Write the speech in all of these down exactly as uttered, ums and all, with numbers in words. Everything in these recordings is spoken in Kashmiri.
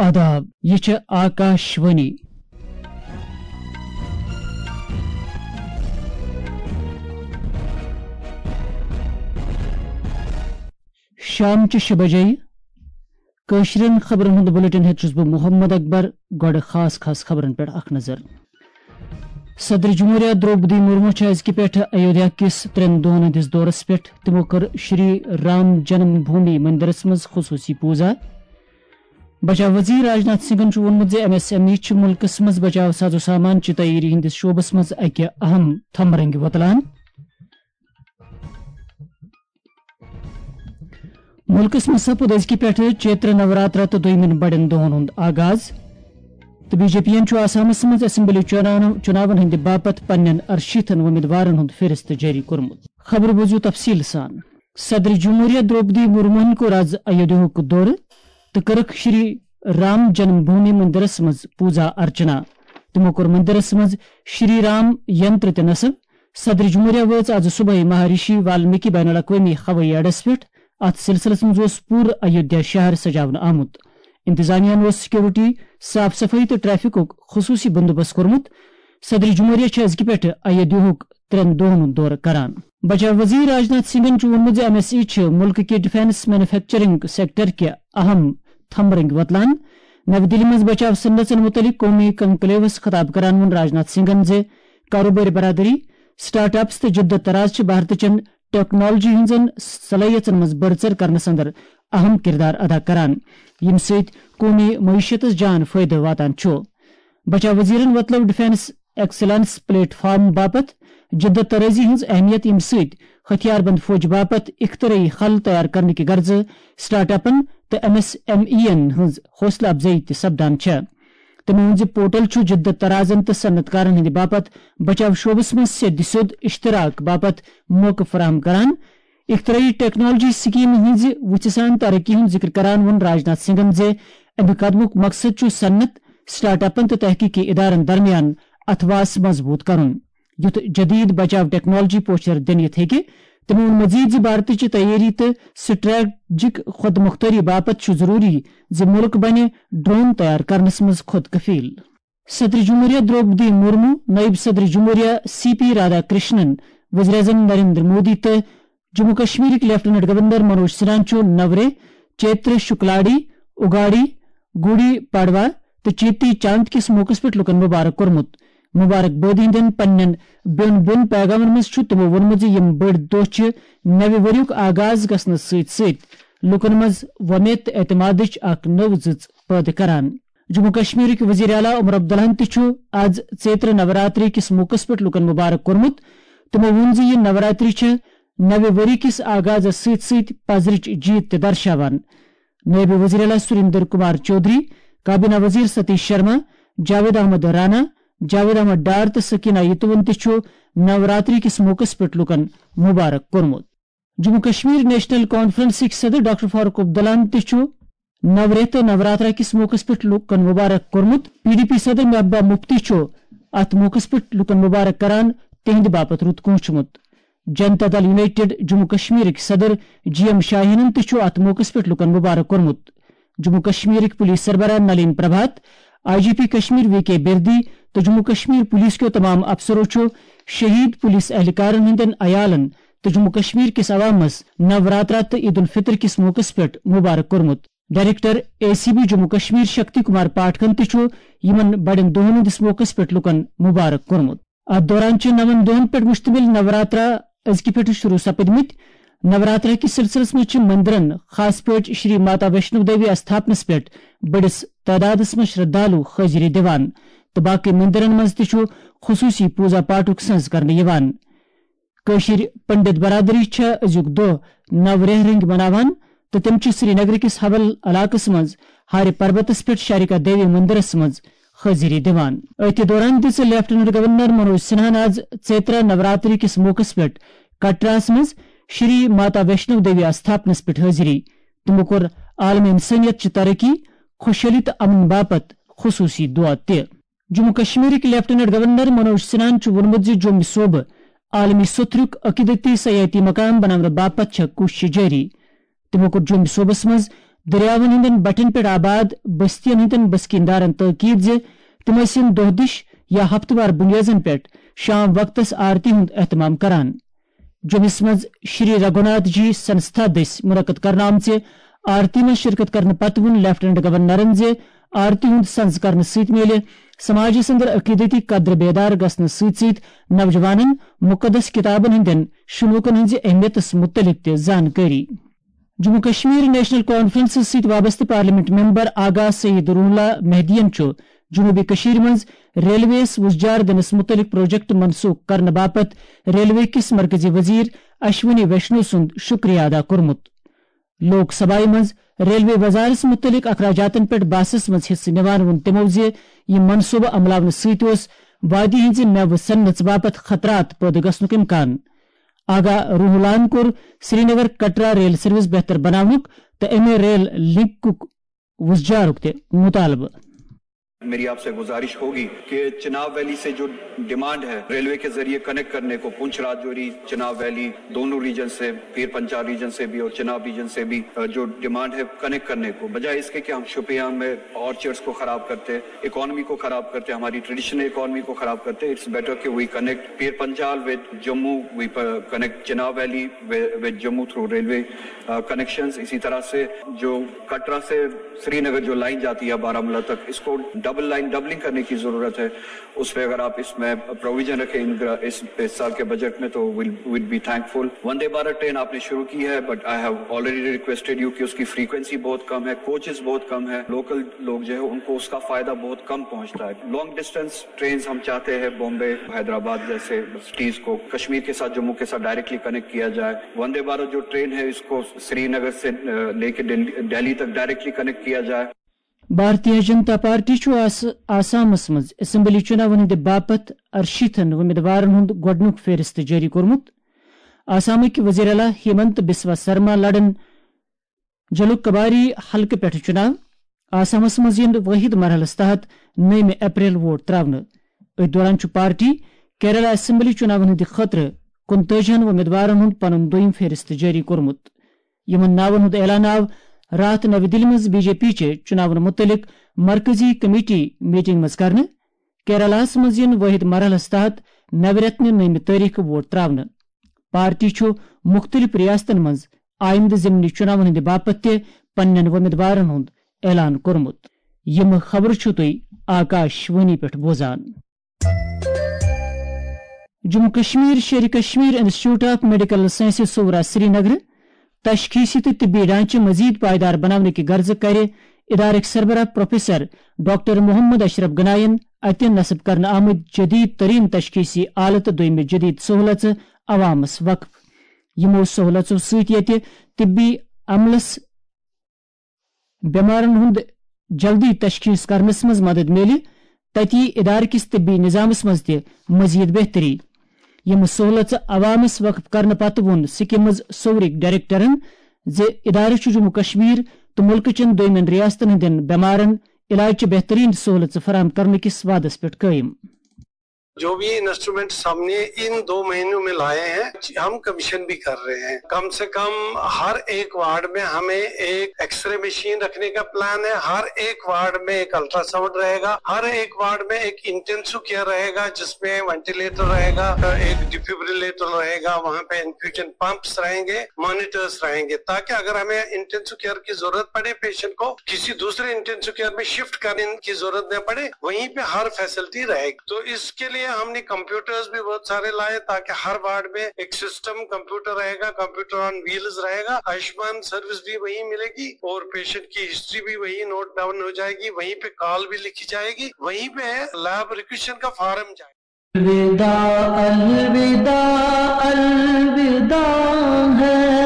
آداب، یہِ چھِ آکاش وانی۔ شام چہِ شےٚ بجے۔ کٲشرٮ۪ن خبرن ہُنٛد بلیٹن ہٮ۪تھ چھُس بہٕ محمد اکبر۔ گۄڈٕ خاص خاص خبرن پٮ۪ٹھ اکھ نظر۔ صدر جمہوریہ درٛوپدی مرمو چھِ أزکہِ پٮ۪ٹھٕ ایودھیا کِس ترٛٮ۪ن دۄہن ہٕنٛدِس دورس پٮ۪ٹھ۔ تِمو کٔر شری رام جنم بھومی مندرس منٛز خصوٗصی پوٗزا۔ بچاو وزیر راجناتھ سنگھن چھُ ووٚنمُت زِ ایم ایس ایم ای چھِ مُلکس منٛز بچاو ساز و سامان چہِ تیٲری ہٕنٛدِس شعبس منٛز اکہِ اہم تھمرنگہِ وۄتلان۔ مُلکس منٛز سپُد أزکہِ پٮ۪ٹھٕ چیتر نوراترا تہٕ دوٚیمٮ۪ن بڑٮ۪ن دۄہن ہُنٛد آغاز۔ تہٕ بی جے پی ین چھُ آسامس منٛز اسمبلی چُناون، چُناون ہٕنٛدِ باپتھ پننٮ۪ن ارشیٖتھن وۄمیدوارن ہُنٛد فہرست جٲری کوٚرمُت۔ خبر بوٗزِو تفصیٖل سان۔ صدر جمہوریہ درٛوپدی مرموہن کوٚر از ایودھیاہُک دورٕ تہٕ کٔرٕکھ شری رام جنم بھومی مندرس منٛز پوٗزا ارچنا۔ تِمو کوٚر مندرس منٛز شری رام ینتر تہِ نصب۔ صدر جمہوریہ وٲژ از صبحٲے مہارشی والمیکی بین الاقوٲمی ہوٲیی اڈس پٮ۪ٹھ۔ اتھ سلسلس منٛز اوس پوٗرٕ ایودھیا شہر سجاونہٕ آمُت۔ انتظامیہ ہن اوس سیکورٹی، صاف صفٲیی تہٕ ٹریفکُک خصوٗصی بندوبست کوٚرمُت۔ صدر جمہوریہ چھِ أزکہِ پٮ۪ٹھٕ ایودھیاہُک ترٛٮ۪ن دۄہن ہُنٛد دورٕ کران۔ بچاو وزیر راجناتھ سنگھن چھُ ووٚنمُت زِ ایم ایس ای چھِ مُلکہٕ کہِ ڈیفنس مینوفیکچرنگ سیکٹر کہِ اہم تھمبرنگ وۄتلان۔ نَوِ دِلہِ منٛز بچاو صنعژن مُتعلق قومی کنکلیوس خطاب کران ووٚن راجناتھ سنگھن زِ کاروبٲرۍ برادری، سٹارٹ اپس تہٕ جدت طراز چھِ بھارتٕچن ٹیکنالوجی ہٕنٛزن صلٲحیژن منٛز بٔڑ ژٔر کرنس اندر اہم کردار ادا کران، ییٚمہِ سۭتۍ قومی معیشتس جان فٲیدٕ واتان چھُ۔ بچاو وزیرن وۄتلٲو ڈیفنس ایکسلنس پلیٹ فارم باپتھ جدت طرازی ہٕنٛز اہمیت، ییٚمہِ سۭتۍ ہتھیار بند فوج باپتھ اختراعی حل تیار کرنہٕ کہِ غرضہٕ سٹارٹ اپن تہٕ ایم ایس ایم ای ین ہٕنٛز حوصلہٕ افزٲیی تہِ سپدان چھےٚ۔ تٔمۍ ووٚن زِ پورٹل چھُ جدت طرازن تہٕ صنعت کارن ہٕنٛدِ باپتھ بچاو شعبس منٛز سیٚدِ سیوٚد اشتراک باپتھ موقعہٕ فراہم کران۔ اختراعی ٹیکنالوجی سکیمہِ ہٕنٛزِ وُژھِ سان ترقی ہُنٛد ذکر کران ووٚن راجناتھ سنگھن زِ اَمہِ قدمُک مقصد چھُ صنعت، سٹارٹ اپن تہٕ تحقیقی ادارن درمیان اتھواس مضبوط کرُن، یُتھ جدید بچاو ٹیکنالوجی پوچھر دِنہٕ یِتھ ہیٚکہِ۔ تٔمۍ ووٚن مزید زِ بھارتٕچہِ تیٲری تہٕ سٹریٹجک خود مختاری باپتھ چھُ ضروری زِ مُلک بنہِ ڈرون تیار کرنس منٛز خود کفیل۔ صدر جمہوریہ درٛوپدی مرمو، نٲیِب صدر جمہوریہ سی پی رادھا کرشنن، وزیر اعظم نریندر مودی تہٕ جموں کشمیرٕکۍ لیفٹیننٹ گورنر منوج سنہاہن چھُ نورے، چیتر شکلاڈی، اگاڑی، گوڑی پاڑوا تہٕ چیتی چاند کِس موقعس پٮ۪ٹھ لوٗکَن مبارک کوٚرمُت۔ مبارک بٲدی ہٕنٛدٮ۪ن پننٮ۪ن بیوٚن بیوٚن پیغامن منٛز چھُ تِمو ووٚنمُت زِ یِم بٔڑۍ دۄہ چھِ نوِ ؤریُک آغاز گژھنَس سۭتۍ سۭتۍ لوٗکَن منٛز وۄمید تہٕ اعتمادٕچ اکھ نٔو زٕژ پٲدٕ کران۔ جموں کشمیرٕکۍ وزیر اعلیٰ عمر عبداللہن تہِ چھُ از چیتر نوراتری کِس موقعس پٮ۪ٹھ لوٗکَن مبارک کوٚرمُت۔ تِمو ووٚن زِ یہِ نوراتری چھِ نوِ ؤری کِس آغازس سۭتۍ سۭتۍ پزرٕچ جیت تہِ درشاوان۔ نٲیِب وزیر اعلیٰ سریندر کمار چودھری، کابینہ وزیر ستیش شرما، جاوید احمد رانا، جاوید احمد ڈار تہٕ سکینہ یتوَن تہِ چھُ نوراتری کِس موقعس پٮ۪ٹھ لوٗکَن مبارک کوٚرمُت۔ جموں کشمیر نیشنل کانفرنسٕکۍ صدر ڈاکٹر فاروق عبداللہن تہِ چھُ نورے تہٕ نوراترا کِس موقعس پٮ۪ٹھ لوٗکَن مبارک کوٚرمُت۔ پی ڈی پی صدر محبوبہ مفتی چھُ اتھ موقعس پٮ۪ٹھ لوٗکَن مبارک کران تِہنٛدِ باپتھ رُت کوٗنٛچھمُت۔ جنتا دل یونائیٹڈ جموں کشمیرٕکۍ صدر جی ایم شاہینن تہِ چھُ اتھ موقعس پٮ۪ٹھ لوٗکَن مبارک کوٚرمُت۔ جموں کشمیرٕکۍ پولیس سربراہ Nalin Prabhat, I G P Kashmir V K Birdi تہٕ جموں کشمیر پولیس کیو تمام افسرو چھُ شہید پولیس اہلکارن ہٕنٛدٮ۪ن عیالن تہٕ جموں کشمیر کِس عوامس نوراترا تہٕ عید الفطر کِس موقعس پٮ۪ٹھ مبارک کوٚرمُت۔ Director A C B Jammu Kashmir Shakti Kumar پاٹھکن تہِ چھُ یِمن بڑٮ۪ن دۄہن ہٕنٛدِس موقعس پٮ۪ٹھ لوٗکَن مبارک کوٚرمُت۔ اتھ دوران چھِ نَوَن دۄہَن پٮ۪ٹھ مشتمل نوراترا أزکہِ پٮ۪ٹھٕ شروع سپدمٕتۍ۔ نوراترا کِس سلسلس منٛز چھِ مندرن، خاص پٲٹھۍ شری ماتا ویشنو دیوی استھاپنس پٮ۪ٹھ بٔڑِس تعدادس منٛز شردھالو حٲضری دِوان تہٕ باقٕے مندرن منٛز تہِ چھُ خصوٗصی پوٗزا پاٹھُک سٕنٛز کرنہٕ یِوان۔ کٲشِر پنڈت برادری چھےٚ أزیُک دۄہ نو ریٚہہ رٔنٛگۍ مناوان تہٕ تِم چھِ سرینگرٕ کِس حول علاقس منٛز ہارِ پربتس پٮ۪ٹھ شارکا دیوی مندرس منٛز حٲضری دِوان۔ أتھۍ دوران دِژ لیفٹیننٹ گورنر منوج سنہاہن آز چیترا نوراتری کِس موقعس پٮ۪ٹھ کٹراہس منٛز شری ماتا ویشنو دیوی استھاپنس پٮ۪ٹھ حٲضری۔ تِمو کوٚر عالم انسٲنیت چہِ ترقی، خۄشحٲلی تہٕ امن باپتھ خصوٗصی دعا تہِ۔ جموں کشمیرٕکۍ لیفٹیننٹ گورنر منوج سنہاہن چھُ ووٚنمُت زِ جوٚمہِ صوبہٕ عالمی سوٚتھرُک عقیدتی سیاحتی مقام بناونہٕ باپتھ چھےٚ کوٗششہٕ جٲری۔ تِمو کوٚر جوٚمہِ صوبس منٛز دٔریاوَن ہٕنٛدٮ۪ن بٹھٮ۪ن پٮ۪ٹھ آباد بستیَن ہٕنٛدٮ۪ن بسکیٖن دارَن تٲکیٖد زِ تِم ٲسِن دۄہ دِش یا ہفتہٕ وار بُنیٲزَن پٮ۪ٹھ شام وقتَس آرتی ہُنٛد اہتمام کران۔ جوٚمِس منٛز شری رگھوناتھ جی سنستھا دٔسۍ منعقد کرنہٕ آمژِ آرتی منٛز شرکت کرنہٕ پتہٕ ووٚن لیفٹیننٹ گورنرَن زِ آرتی ہُنٛد سنز کرنہٕ سۭتۍ میلہِ سماجس اندر عقیدتی قدر بیدار گژھنہٕ سۭتۍ سۭتۍ نوجوانن مقدس کتابن ہٕنٛدٮ۪ن شنوٗکن ہٕنٛزِ اہمیتس متعلق تہِ زانکٲری۔ جموں کشمیر نیشنل کانفرنسس سۭتۍ وابستہٕ پارلیمنٹ ممبر آغا سعید روح اللہ مہدیَن چھُ جنوبی کشمیر منٛز ریلویس وُزجار دِنس متعلق پروجیکٹ منسوخ کرنہٕ باپتھ ریلوے کِس مرکزی وزیر اشونی ویشنو سُنٛد شکریہ ادا کوٚرمُت۔ لوک سبھایہ منٛز ریلوے وزارس متعلق اخراجاتن پٮ۪ٹھ بحثس منٛز حصہٕ نِوان ووٚن تِمو زِ یہِ منصوبہٕ عملاونہٕ سۭتۍ اوس وادی ہٕنٛزِ مٮ۪وٕ صنعژ باپتھ خطرات پٲدٕ گژھنُک امکان۔ آغا روح اللہَن کوٚر سرینگر کٹرا ریل سروس بہتر بناونُک تہٕ امہِ ریل لنکُک وُزجارُک تہِ مطالبہٕ۔ میری آپ سے گزارش ہوگی کہ چناب ویلی سے جو ڈیمانڈ ہے ریلوے کے ذریعے کنیکٹ کرنے کو، پونچھ راجوری، چناب ویلی، دونوں ریجن سے، پیر پنچال ریجن سے بھی اور چناب ریجن سے بھی، جو ڈیمانڈ ہے کنیکٹ کرنے کو، بجائے اس کے کہ ہم شوپیاں میں آرچرڈز کو خراب کرتے، اکانومی کو خراب کرتے، ہماری ٹریڈیشنل اکانومی کو خراب کرتے، it's better کہ we connect Pir Panjal with Jammu, we connect Chenab Valley with Jammu through railway connections. اسی طرح سے جو کٹرا سے سری نگر جو لائن جاتی ہے بارامولہ تک، اس کو ڈبل لائن، ڈبلنگ کرنے کی ضرورت ہے۔ اس پہ اگر آپ اس میں پروویژن رکھیں اس سال کے بجٹ میں تو we'll be thankful. Vande Bharat train آپ نے شروع کی ہے، but I have already requested you کہ اس کی فریکوینسی بہت کم ہے، کوچز بہت کم ہے، لوکل لوگ جو ہے ان کو اس کا فائدہ بہت کم پہنچتا ہے۔ لانگ ڈسٹینس ٹرینز ہم چاہتے ہیں، بامبے، حیدرآباد جیسے سٹیز کو کشمیر کے ساتھ، جموں کے ساتھ ڈائریکٹلی کنیکٹ کیا جائے۔ وندے بھارت جو ٹرین ہے اس کو سری نگر سے لے کے دہلی تک ڈائریکٹلی کنیکٹ کیا جائے۔ بھارتیہ جنتا پارٹی چھُ آس آسامس منٛز اسمبلی چُناون ہٕنٛدِ باپتھ ارشیٖتھن وۄمیدوارن ہُنٛد گۄڈٕنیُک فہرست جٲری کوٚرمُت۔ آسامٕکۍ وزیر اعلیٰ ہیمنت بسوا سرما لڑن جلوک کباری حلقہٕ پٮ۪ٹھٕ چُناو۔ آسامس منٛز یِن وٲحد مرحلس تحت نٔیمہِ اپریل ووٹ تراونہٕ۔ أتھۍ دوران چھُ پارٹی کیرالہ اسمبلی چُناون ہٕنٛدِ خٲطرٕ کُنتٲجی ہن وۄمیدوارن ہُنٛد پنُن دوٚیِم فہرست جٲری کوٚرمُت۔ یِمن ناون ہُنٛد اعلان آو راتھ نَوِ دِلہِ منٛز بی جے پی چہِ چُناون مُتعلق مرکزی کمیٹی میٹنگ منٛز کرنہٕ۔ کیرالہ ہَس منٛز یِن وٲحد مرحلَس تحت نَوِ رٮ۪تہٕ نہِ نٔیمہِ تٲریخہٕ ووٹ تراونہٕ۔ پارٹی چھُ مُختٔلِف ریاستن منٛز آیندٕ ضمنی چُناون ہٕنٛدِ باپتھ تہِ پننٮ۪ن وۄمیدوارن ہُنٛد اعلان کوٚرمُت۔ یِم خبرٕ چھِو تُہۍ آکاش وانی پٮ۪ٹھ بوزان۔ Jammu Kashmir, Sher-e Kashmir institute of medical sciences Soura Srinagar, تشخیصی تہٕ طبی ڈھانچہٕ مزید پائیدار بناونہٕ کہِ غرضہٕ کرِ ادارٕکۍ سربراہ پروفیسر ڈاکٹر محمد اشرف گناین اتہِ نصب کرنہٕ آمٕتۍ جدید ترین تشخیصی آلہٕ تہٕ دوٚیمہِ جدید سہولژٕ عوامس وقف۔ یِمو سہولژو سۭتۍ ییٚتہِ طبی عملس بٮ۪مارن ہُنٛد جلدی تشخیص کرنس منٛز مدد میلہِ، تتی ادارٕ کِس طبی نظامس منٛز تہِ مزید بہتری۔ یِم سہولژٕ عوامس وقف کرنہٕ پتہٕ ووٚن سکمز صورٕکۍ ڈائریکٹرن زِ ادارٕ چھُ جموں کشمیر تہٕ مُلکہٕ چٮ۪ن دوٚیمٮ۪ن ریاستن ہٕنٛدٮ۪ن بٮ۪مارن علاج چہِ بہترین سہولژٕ فراہم کرنہٕ کِس وعدس پٮ۪ٹھ قٲیِم۔ جو بھی انسٹرومنٹس ہم نے ان دو مہینوں میں لائے ہیں، ہم کمیشن بھی کر رہے ہیں۔ کم سے کم ہر ایک وارڈ میں ہمیں ایک ایکس رے مشین رکھنے کا پلان ہے، ہر ایک وارڈ میں ایک الٹراساؤنڈ رہے گا، ہر ایک وارڈ میں ایک انٹینسو کیئر رہے گا، جس میں وینٹیلیٹر رہے گا، ایک ڈیفیبریلیٹر رہے گا، وہاں پہ انفیوژن پمپس رہیں گے، مانیٹرز رہیں گے، تاکہ اگر ہمیں انٹینسو کیئر کی ضرورت پڑے پیشنٹ کو، کسی دوسرے انٹینسو کیئر میں شفٹ کرنے کی ضرورت نہ پڑے، وہیں پہ ہر فیسلٹی رہے گی۔ تو اس کے لیے ہم نے کمپیوٹرز بھی بہت سارے لائے، تاکہ ہر وارڈ میں ایک سسٹم کمپیوٹر رہے گا، کمپیوٹر آن ویلز رہے گا، آیوشمان سروس بھی وہیں ملے گی اور پیشنٹ کی ہسٹری بھی وہیں نوٹ ڈاؤن ہو جائے گی، وہیں پہ کال بھی لکھی جائے گی، وہیں پہ لیب ریکویزیشن کا فارم جائے گا۔ الوداع، الوداع، الوداع ہے۔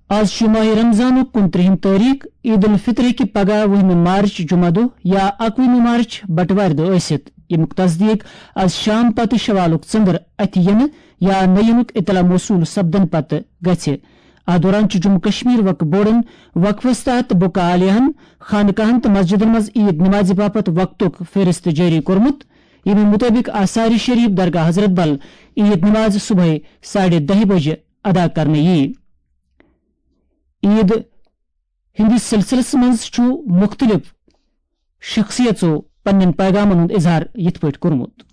آز چھُ ماہِ رمضانُک کُنترٛہِم تٲریخ، عید الفطر ہیٚکہِ پگاہ وُہمہِ مارچ جمعہ دۄہ یا اکوُہمہِ مارچ بٹوارِ دۄہ ٲسِتھ، ییٚمیُک تصدیق آز شام پتہٕ شوالُک ژٔنٛدٕر اَتھِ یِنہٕ یا نہٕ یِنُک اطلاع موصول سپدن پتہٕ گژھِ۔ اتھ دوران چھُ جموں کشمیر وقف بورڈن وقفس تحت بُکہٕ عالیہن، خانقاہن تہٕ مسجدن منٛز عید نمازِ باپتھ وقتُک فہرست جٲری کوٚرمُت، ییٚمہِ مُطٲبِق آثار شریف درگاہ حضرت بل عید نماز صبحٲے ساڑِ دَہہِ بجہِ ادا کرنہٕ یِیہِ۔ عید ہٕنٛدِس سلسلس منٛز چھُ مُختٔلِف شخصیژو پننٮ۪ن پیغامن ہُنٛد اظہار یِتھ پٲٹھۍ کوٚرمُت۔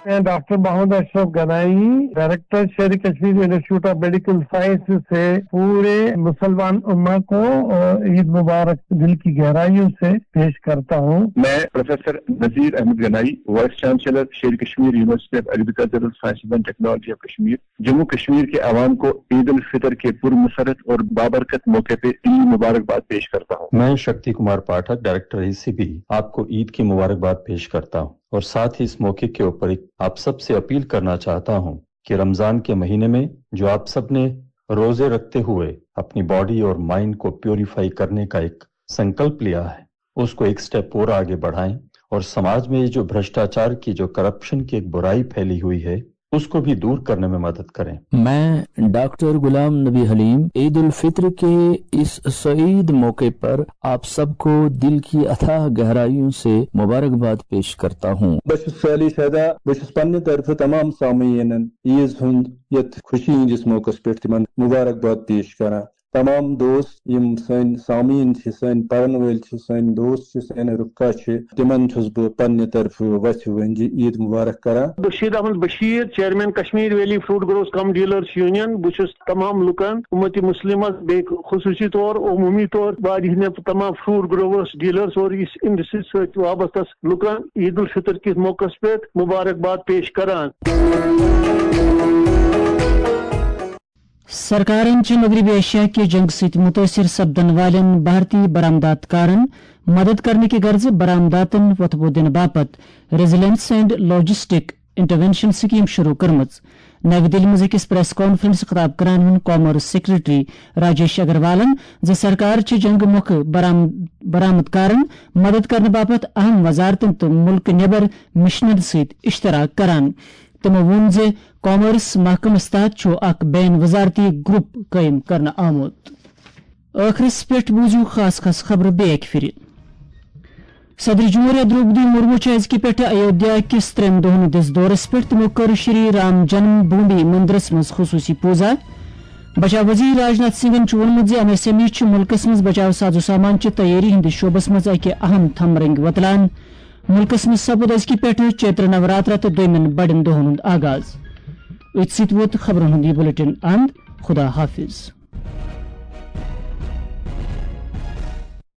میں doctor Mohammad Ashraf Ganaie, director Sher Kashmir institute of medical science سے پورے مسلمان امہ کو عید مبارک دل کی گہرائیوں سے پیش کرتا ہوں۔ میں professor Nazir Ahmad Ganai, vice chancellor Sher Kashmir university of agricultural sciences and technology of Kashmir, Jammu Kashmir کے عوام کو عید الفطر کے پرمسرت اور بابرکت موقع پہ عید مبارکباد پیش کرتا ہوں۔ میں शक्ति कुमार पाठक, डायरेक्टर ईसीबी, आपको ईद की मुबारकबाद पेश करता हूं और साथ ही इस मौके के ऊपर एक आप सब से अपील करना चाहता हूं कि रमजान के महीने में जो आप सब ने रोजे रखते हुए अपनी बॉडी और माइंड को प्योरीफाई करने का एक संकल्प लिया है, उसको एक स्टेप और आगे बढ़ाएं और समाज में ये जो भ्रष्टाचार की, जो करप्शन की एक बुराई फैली हुई है, उसको भी दूर करने में मदद करें। मैं डॉक्टर गुलाम नबी हलीम ईद उल फित्र के इस सईद मौके पर आप सबको दिल की अथाह गहराइयों से मुबारकबाद पेश करता हूँ। بہٕ چھُس سالی شیدا، بہٕ چھُس پننہِ طرفہٕ تمام سامعیٖنن عیٖز ہُنٛد یتھ خوشی ہٕنٛدِس موقعس پٮ۪ٹھ تِمن مبارکباد پیش کران۔ تمام دوست یِم سٲنۍ سامعیٖن چھِ، سٲنۍ پرن وٲلۍ چھِ، سٲنۍ دوست چھِ، سٲنۍ رفقا چھِ، تِمن چھُس بہٕ پننہِ طرفہٕ وژھِ ؤنجہِ عید مبارک کران۔ Bashir Ahmad Bashir, chairman Kashmir valley fruit growers cum dealers union. بہٕ چھُس تمام لُکن، امت مسلمس، بیٚیہِ خصوٗصی طور عموٗمی طور واریاہن تمام فروٹ گروورز، ڈیلرز اور یُس انڈسٹری سۭتۍ وابستس لُکن عید الفطر کِس موقعس پٮ۪ٹھ مبارکباد پیش کران۔ سرکارن چھِ مغربی ایشیا کہِ جنگ سۭتۍ مُتٲثِر سپدن والٮ۪ن بھارتی برآمدات کارن مدد کرنہٕ کہِ غرضہٕ برآمداتن وۄتھٕ بو دِنہٕ باپتھ resilience and logistic intervention scheme شروع کٔرمٕژ۔ نَوِ دِلہِ منٛز أکِس پریس کانفرنس خطاب کران ووٚن کامرس سیکرٹری راجیش اگروالن زِ سرکار چھِ جنگ مۄکھٕ برآم-، برآمد کارن مدد کرنہٕ باپتھ اہم وزارتن تہٕ مُلکہٕ نٮ۪بر مشنن سۭتۍ اشتراک کران۔ تِمو ووٚن زِ کامرس محکمس تحت چھُ اکھ بین وزارتی گروپ قٲیِم کرنہٕ آمُت۔ ٲخرس پٮ۪ٹھ بوٗزِو خاص خاص خبرٕ بیٚیہِ اَکہِ پھِرِ۔ صدر جمہوریہ درٛوپدی مرمو چھِ أزکہِ پٮ۪ٹھٕ ایودھیا کِس ترٛٮ۪ن دۄہَن ہٕنٛدِس دورس پٮ۪ٹھ۔ تِمو کٔر شری رام جنم بھومی مندرس منٛز خصوٗصی پوٗزا۔ بچاو وزیر راجناتھ سنگھن چھُ ووٚنمُت زِ این ایس ایم ای چھِ مُلکس منٛز بچاو ساز و سامان چہِ تیٲری ہٕنٛدِس شعبس منٛز اَکہِ اہم تھمرنگ وۄتلان۔ مُلکس منٛز سپُد أزکہِ پٮ۪ٹھٕ چیتر نوراترا تہٕ دوٚیمٮ۪ن بڑٮ۪ن دۄہن ہُنٛد آغاز۔ أتھۍ سۭتۍ ووت خبرن ہُنٛد یہِ بلیٹن اند۔ خدا حافظ۔